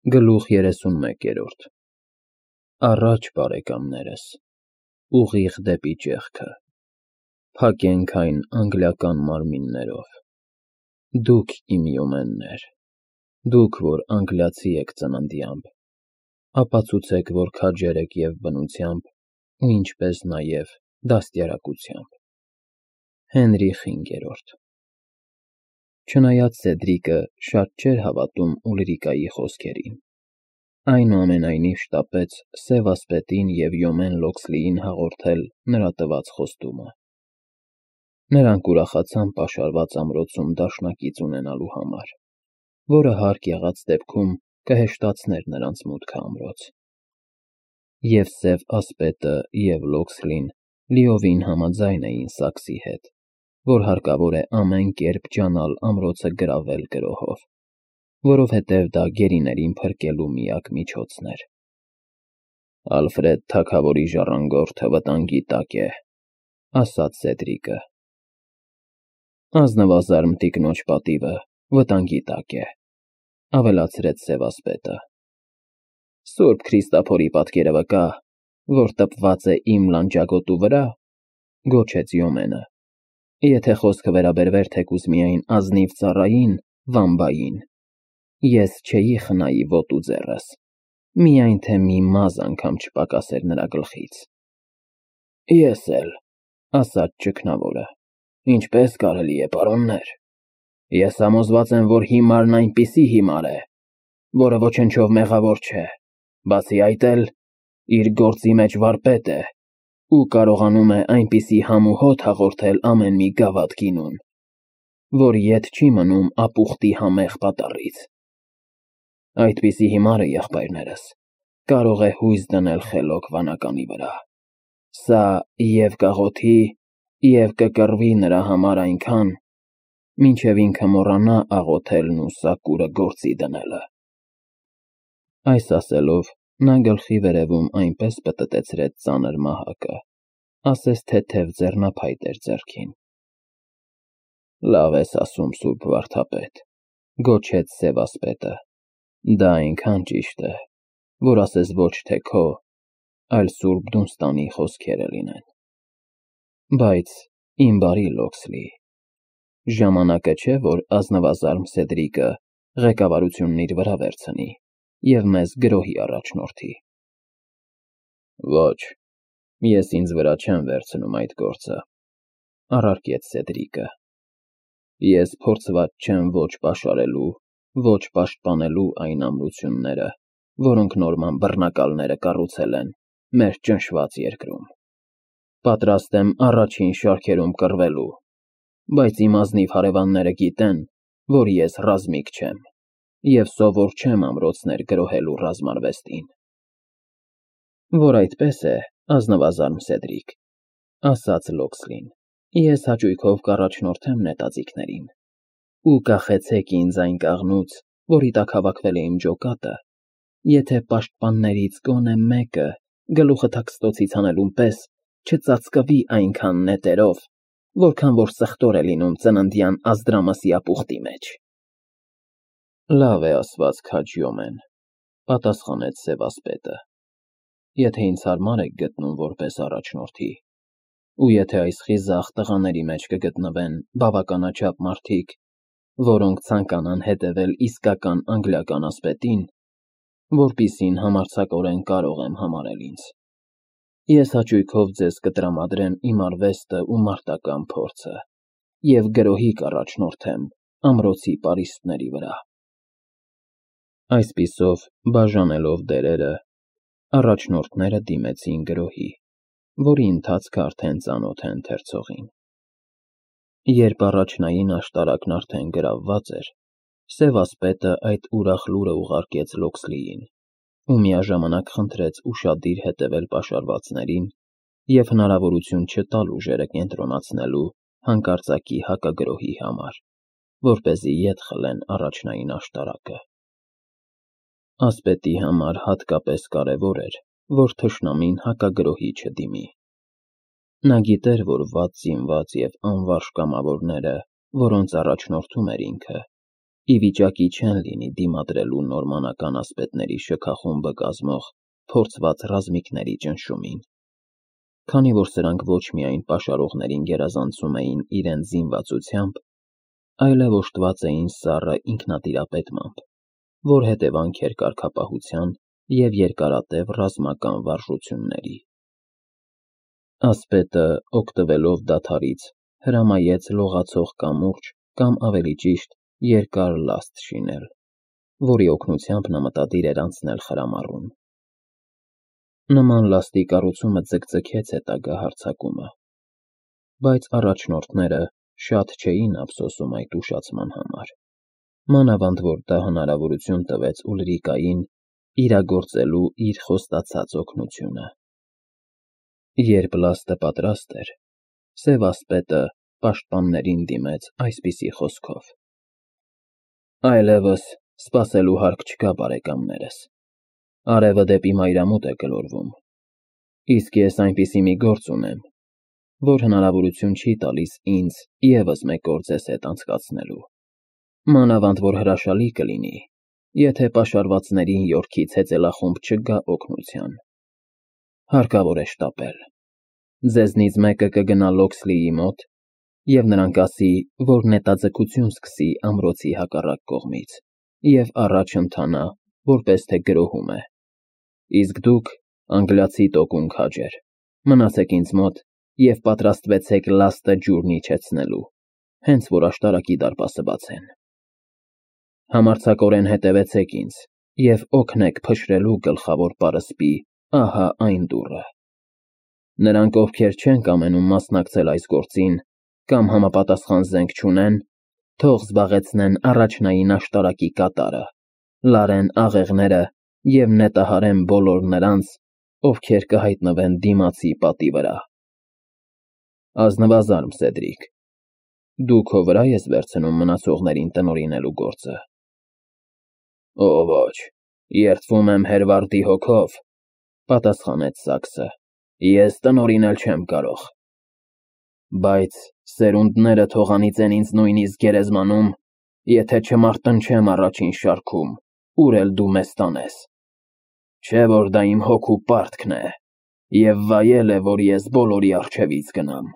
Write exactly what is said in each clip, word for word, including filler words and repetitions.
Գլուխ երեսունմեկերորդ Առաջ, բարեկամներս, ուղիղ դեպի ճեղքը, փակենք այն անգլիական մարմիններով, դուք իմ յոմեններ, դուք, որ անգլիացի եք ծննդյամբ, ապացուցեք, որ քաջեր եք և բնությամբ, ու ինչպես նաև դաստիարակությամբ։ Հենրիխ հինգերորդ Չնայած Սեդրիկը շատ չէր հավատում Ուլրիկայի խոսքերին, այնուամենայնիվ շտապեց սևասպետին և Յոմեն Լոքսլիին հաղորդել նրա տված խոստումը։ Նրանք ուրախացան պաշարված ամրոցում դաշնակից ունենալու համար, որը հարկ եղած դեպքում կհեշտացներ նրանց մուտքը ամրոց։ Եվ սև ասպետը և Լոքսլին լիովին համաձայն էին Սաքսի հետ, որ հարկավոր է ամեն կերպ ջանալ ամրոցը գրավել գրոհով, որովհետև դա գերիներին փրկելու միակ միջոցն էր։ Ալֆրեդ թագավորի ժառանգորդը վտանգի տակ է, ասաց Սեդրիկը։ Ազնվազարմ տիկնոջ պատիվը վտանգի տակ է, ավելացրեց սևասպետը։ Սուրբ Քրիստափորի պատկերը վկա, որ տպված է իմ լանջագոտու վրա, գոչեց Յոմենը, եթե խոսքը վերաբերվեր թեկուզ միայն ազնիվ ծառային, վամբային, ես չէի խնայի ոտու ձեռս, միայն թե մի մազ անգամ չպակասեր նրա գլխից։ Ես էլ, ասաց ճգնավորը, ինչպես կարելի է, պարոններ, ես համոզված եմ, որ հիմարն այնպիսի հիմար է, որը ոչնչով մեղավոր չէ, բացի այդ էլ, իր գործի մեջ վարպետ է ու կարողանում է այնպիսի համ ու հոտ հաղորդել ամեն մի գավաթ գինուն, որ ետ չի մնում ապուխտի համեղ պատառից։ Այդպիսի հիմարը, եղբայրներս, կարող է հույս դնել խելոք վանականի վրա։ Սա և կաղոթի, և կկռվի նրա համար այնքան, մինչև ինքը մոռանա աղոթելն ու սակուրը գործի դնելը։ Այս ասելով, նա գլխի վերևում այնպես պտտեցրեց ծանր մահակը, ասես թեթև ձեռնափայտ էր ձեռքին։ Լավ ես ասում, սուրբ վարդապետ, գոչեց սևասպետը, դա այնքան ճիշտ է, որ ասես ոչ թե քո, այլ սուրբ Դունստանի խոսքերը լինեն։ Բայց, իմ բարի Լոքսլի, ժամանակը չէ, որ ազնվազարմ Սեդրիկը ղեկավարությունն իր վրա վերցնի և մեզ գրոհի առաջնորդի։ Ոչ, ես ինձ վրա չեմ վերցնում այդ գործը, առարկեց Սեդրիկը։ Ես փորձված չեմ ոչ պաշարելու, ոչ պաշտպանելու այն ամրությունները, որոնք նորման բռնակալները կառուցել են մեր ճնշված երկրում։ Պատրաստ եմ առաջին շարքերում կռվելու, բայց իմ ազնիվ հարևանները գիտեն, որ ես ռազմիկ չեմ և սովոր չեմ ամրոցներ գրոհելու ռազմարվեստին։ Որ այդպես է, ազնվազարմ Սեդրիկ, ասաց Լոքսլին, ես հաճույքով կառաջնորդեմ նետաձիգներին, ու կախեցեք ինձ այն կաղնուց, որի տակ հավաքվել է իմ ջոկատը, եթե պաշտպաններից գոնե մեկը գլուխը թաքստոցից հանելուն պես չծածկվի այնքան նետերով, որքան որ սխտոր է լինում ծննդյան Ազդրամասի ապուխտի մեջ։ Լավ է ասված, քաջ Յոմեն, պատասխանեց սևասպետը, եթե ինձ հարմար եք գտնում որպես առաջնորդի, ու եթե այս խիզախ տղաների մեջ կգտնվեն բավականաչափ մարդիկ, որոնք ցանկանան հետևել իսկական անգլիական ասպետին, որպիսին համարձակորեն կարող եմ համարել ինձ, ես հաճույքով ձեզ կտրամադրեմ իմ արվեստը ու մարտական փորձը և գրոհի կառաջնորդեմ ամրոցի պարիսպների վրա։ Այսպիսով, բաժանելով դերերը, առաջնորդները դիմեցին գրոհի, որի ընթացքը արդեն ծանոթ է ընթերցողին։ Երբ առաջնային աշտարակն արդեն գրավված էր, սևասպետը այդ ուրախ լուրը ուղարկեց Լոքսլիին ու միաժամանակ խնդրեց ուշադիր հետևել պաշարվածներին և հնարավորություն չտալ ուժերը կենտրոնացնելու հանկարծակի հակագրոհի համար, որպեսզի ետ խլեն առաջնային աշտարակը։ Ասպետի համար հատկապես կարևոր էր, որ թշնամին հակագրոհի չդիմի։ Նա գիտեր, որ վատ զինված և անվարժ կամավորները, որոնց առաջնորդում էր ինքը, ի վիճակի չեն լինի դիմադրելու նորմանական ասպետների շքախումբը կազմող փորձված ռազմիկների ճնշումին, քանի որ սրանք ոչ միայն պաշարողներին գերազանցում էին իրենց զինվածությամբ, այլև օժտված էին սառը ինքնատիրապետմամբ, որ հետևանք էր կարգապահության և երկարատև ռազմական վարժությունների։ Ասպետը, օգտվելով դադարից, հրամայեց լողացող կամուրջ կամ ավելի ճիշտ երկար լաստ շինել, որի օգնությամբ նա մտադիր էր անցնել խրամառուն։ Նման լաստի կառուցումը ձգձգեց հետագա հարձակումը, բայց առաջնորդները շատ չէին ափսոսում այդ ուշացման համար, մանավանդ որ դա հնարավորություն տվեց Ուլրիկային իրագործելու իր խոստացած օգնությունը։ Երբ լաստը պատրաստ էր, Սև ասպետը պաշտպաններին դիմեց այսպիսի խոսքով. «Այլևս սպասելու հարկ չկա, բարեկամներս, արևը դեպի մայրամուտ է գլորվում, իսկ ես այնպիսի մի գործ ունեմ, որ հնարավորություն չի տալիս ինձ ևս մեկ օր ձեզ հետ անցկացնելու, մանավանդ որ հրաշալի կլինի, եթե պաշարվածներին Յորքից հեծելախումբ չգա օգնության։ Հարկավոր է շտապել։ Ձեզնից մեկը կգնա Լոքսլիի մոտ և նրան կասի, որ նետաձգություն սկսի ամրոցի հակառակ կողմից և առաջ ընթանա, որպես թե գրոհում է, իսկ դուք, անգլիացի տոկուն քաջեր, մնացեք ինձ մոտ և պատրաստվեցեք լաստը ջուրն իջեցնելու, հենց որ աշտարակի դարպասը բացեն։ Համարձակորեն հետևեցեք ինձ և օգնեք փշրելու գլխավոր պարսպի ահա այն դուռը։ Նրանք, ովքեր չեն կամենում մասնակցել այս գործին կամ համապատասխան զենք չունեն, թող զբաղեցնեն առաջնային աշտարակի կատարը, լարեն աղեղները և նետահարեն բոլոր նրանց, ովքեր կհայտնվեն դիմացի պատի վրա։ Ազնվազարմ Սեդրիկ, դու քո վրա ես վերցնում մնացողներին տնօրինելու գործը։ Օ ոչ, երդվում եմ Հերվարդի հոգով, պատասխանեց Սաքսը, ես տնօրինել չեմ կարող։ Բայց սերունդները թող անիծեն ինձ նույնիսկ գերեզմանում, եթե չմարտնչեմ առաջին շարքում, ուր էլ դու մեզ տանես։ Չէ որ դա իմ հոգու պարտքն է, և վայել է, որ ես բոլորի առջևից գնամ։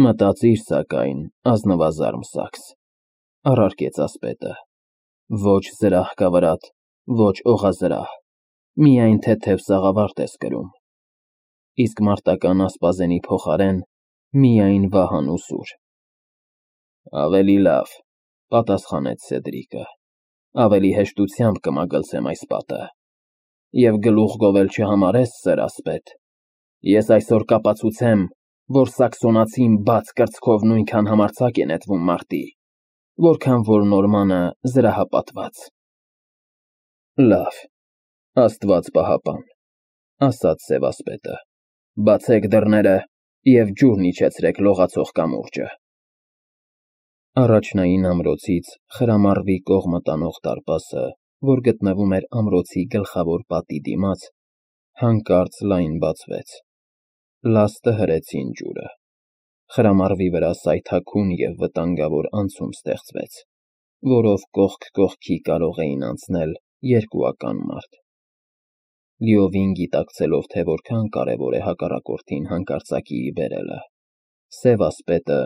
Մտածիր սակայն, ազնվազարմ Սաքս, առարկեց ասպետը, ոչ զրահ կա վրադ, ոչ օղազրահ, միայն թեթև սաղավարտ ես կրում, իսկ մարտական ասպազենի փոխարեն միայն վահան ու սուր։ Ավելի լավ, պատասխանեց Սեդրիկը, ավելի հեշտությամբ կմագլցեմ այս պատը, և գլուխ գովել չհամարես, սեր ասպետ, ես այսօր կապացուցեմ, որ սաքսոնացին բաց կրծքով նույնքան համարձակ է նետվում մարտի, որքան որ նորմանը զրահապատված։ Լավ, Աստված պահապան, ասաց Սև ասպետը, բացեք դռները և ջուրն իջեցրեք լողացող կամուրջը։ Առաջնային ամրոցից խրամառվի կողմը տանող դարպասը, որ գտնվում էր ամրոցի գլխավոր պատի դիմաց, հանկարծ լայն բացվեց, լաստը հրեցին ջուրը, խրամառվի վրա սայթաքուն և վտանգավոր անցում ստեղծվեց, որով կողք կողքի կարող էին անցնել երկուական մարդ։ Լիովին գիտակցելով, թե որքան կարևոր է հակառակորդին հանկարծակիի բերելը, Սև ասպետը,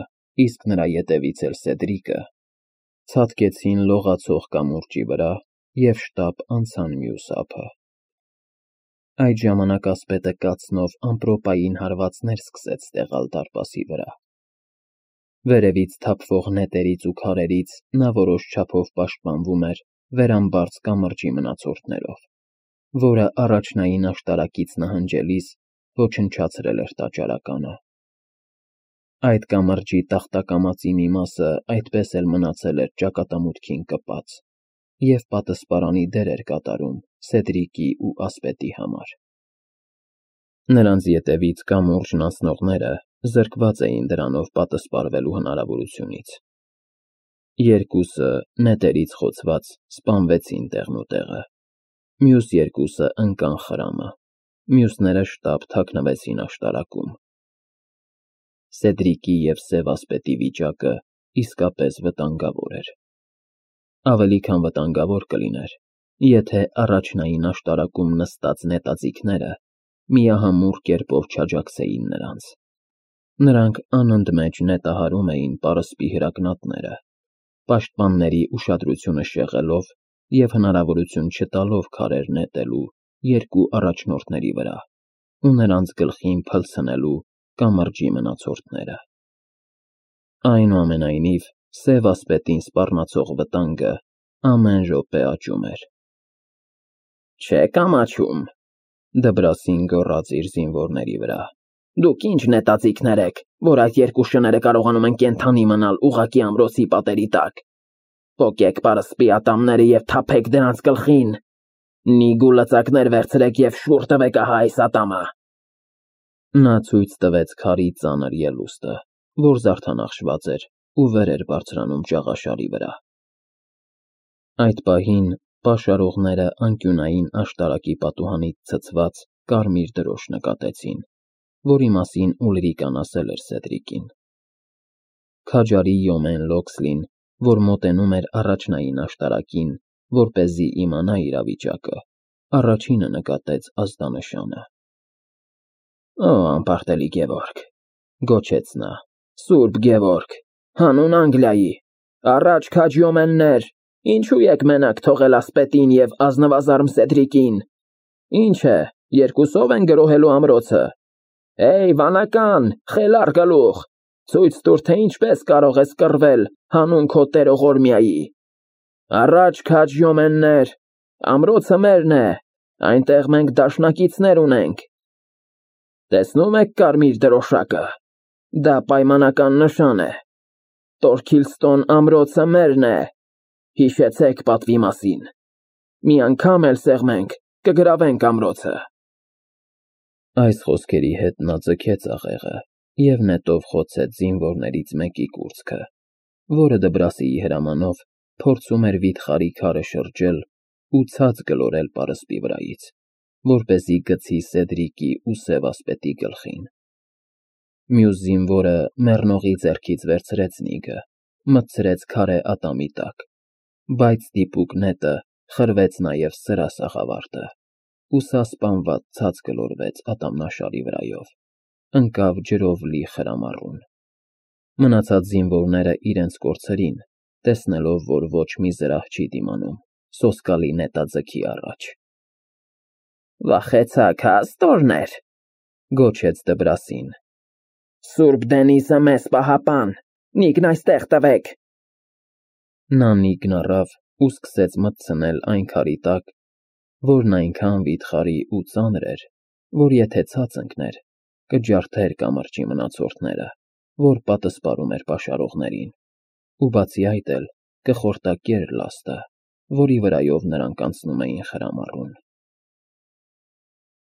իսկ նրա ետևից էլ Սեդրիկը, ցատկեցին լողացող կամուրջի վրա և շտապ անցան մյուս ափը։ Այդ ժամանակ ասպետը կացնով ամպրոպային հարվածներ սկսեց տեղալ դարպասի վրա։ Վերևից թափվող նետերից ու քարերից նա որոշ չափով պաշտպանվում էր վերամբարձ կամրջի մնացորդներով, որը առաջնային աշտարակից նահանջելիս ոչնչացրել էր տաճարականը։ Այդ կամրջի տախտակամածի մի մասը այդպես էլ մնացել էր ճակատամուտքին կպած և պատսպարանի դեր էր կատարում Սեդրիկի ու ասպետի համար։ Նրանց ետևից կամուրջն անցնողները զրկված էին դրանով պատսպարվելու հնարավորությունից։ Երկուսը, նետերից խոցված, սպանվեցին տեղնուտեղը, մյուս երկուսը ընկան խրամը, մյուսները շտապ թաքնվեցին աշտարակում։ Սեդրիկի և Սև ասպետի վիճակը իսկապես վտանգավոր էր։ Ավելի քան վտանգավոր կլիներ, եթե առաջնային աշտարակում նստած նետաձիգները միահամուռ կերպով չաջակցեին նրանց։ Նրանք անընդմեջ նետահարում էին պարսպի հրակնատները, պաշտպանների ուշադրությունը շեղելով և հնարավորություն չտալով քարեր նետելու երկու առաջնորդների վրա ու նրանց գլխին փլցնելու կամրջի մնացորդները։ Այնուամենայնիվ, Սև ասպետին սպառնացող վտանգը ամեն րոպե աճում էր։ «Չե՞ք ամաչում,֊ Դբրասին գոռաց իր զինվորների վրա,֊ դուք ինչ նետաձիգներ եք, որ այդ երկու շները կարողանում են կենդանի մնալ ուղղակի ամրոցի պատերի տակ։ Պոկեք պարսպի ատամները և թափեք դրանց գլխին։ Նիգու լծակներ վերցրեք և շուռ տվեք ահա այս ատամը»։ Նա ցույց տվեց քարի ծանր ելուստը, որ զարդանախշված էր ու վեր էր բարձրանում ճաղաշարի վրա։ Այդ պահին պաշարողները անկյունային աշտարակի պատուհանից ցցված կարմիր դրոշ նկատեցին, որի մասին Ուլրիկան ասել էր Սեդրիկին։ Քաջարի Յոմեն Լոքսլին, որ մոտենում էր առաջնային աշտարակին, որպեսզի իմանա իրավիճակը, առաջինը նկատեց ազդանշանը։ «Օ, անպարտելի Գևորգ,֊ գոչեց նա,֊ Սուրբ Գևորգ, հանուն Անգլիայի, առաջ քաջ Յոմեններ, ինչու եք մենակ թողել ասպետին և ազնվազարմ Սեդրիկին։ Ինչ է, երկուսով են գրոհելու ամրոցը։ Հեյ, վանական, խելառ գլուխ, ցույց տուր, թե ինչպես կարող ես կռվել հանուն քո տերող Օրմիայի։ Առաջ քաջ Յոմեններ, ամրոցը մերն է, այնտեղ մենք դաշնակիցներ ունենք։ Տեսնո՞ւմ եք կարմիր դրոշակը, դա պայմանական նշան է։ Տորքիլստոն ամրոցը մերն է, հիշեցեք պատվի մասին։ Մի անգամ էլ սեղմենք, կգրավենք ամրոցը։ Այս խոսքերի հետ նա ձգեց աղեղը և նետով խոցեց զինվորներից մեկի կուրծքը, որը Դբրասիի հրամանով փորձում էր վիթխարի քարը շրջել ու ցած գլորել պարսպի վրայից, որպեսզի գցի Սեդրիկի ու Սև ասպետի գլխին։ Մյուս զինվորը մեռնողի ձեռքից վերցրեց նիգը, մտցրեց քարե ատամի տակ, բայց դիպուկ նետը խրվեց նաև սրա սաղավարտը, ու սա սպանված ցած գլորվեց ատամնաշարի վրայով, ընկավ ջրով լի խրամառուն։ Մնացած զինվորները իրենց կորցրին, տեսնելով, որ ոչ մի զրահ չի դիմանում սոսկալի նետաձգի առաջ։ «Վախեցաք, հա, աստորներ,֊ գոչեց Դբրասին։ Սուրբ Դենիզը մեզ պահապան, նիգն այստեղ տվեք։ Նա նիգն առավ ու սկսեց մտցնել այն քարի տակ, որն այնքան վիթխարի ու ծանր էր, որ եթե ցած ընկներ, կջարդեր կամրջի մնացորդները, որ պատսպարում էր պաշարողներին, ու բացի այդ էլ կխորտակեր լաստը, որի վրայով նրանք անցնում էին խրամառուն։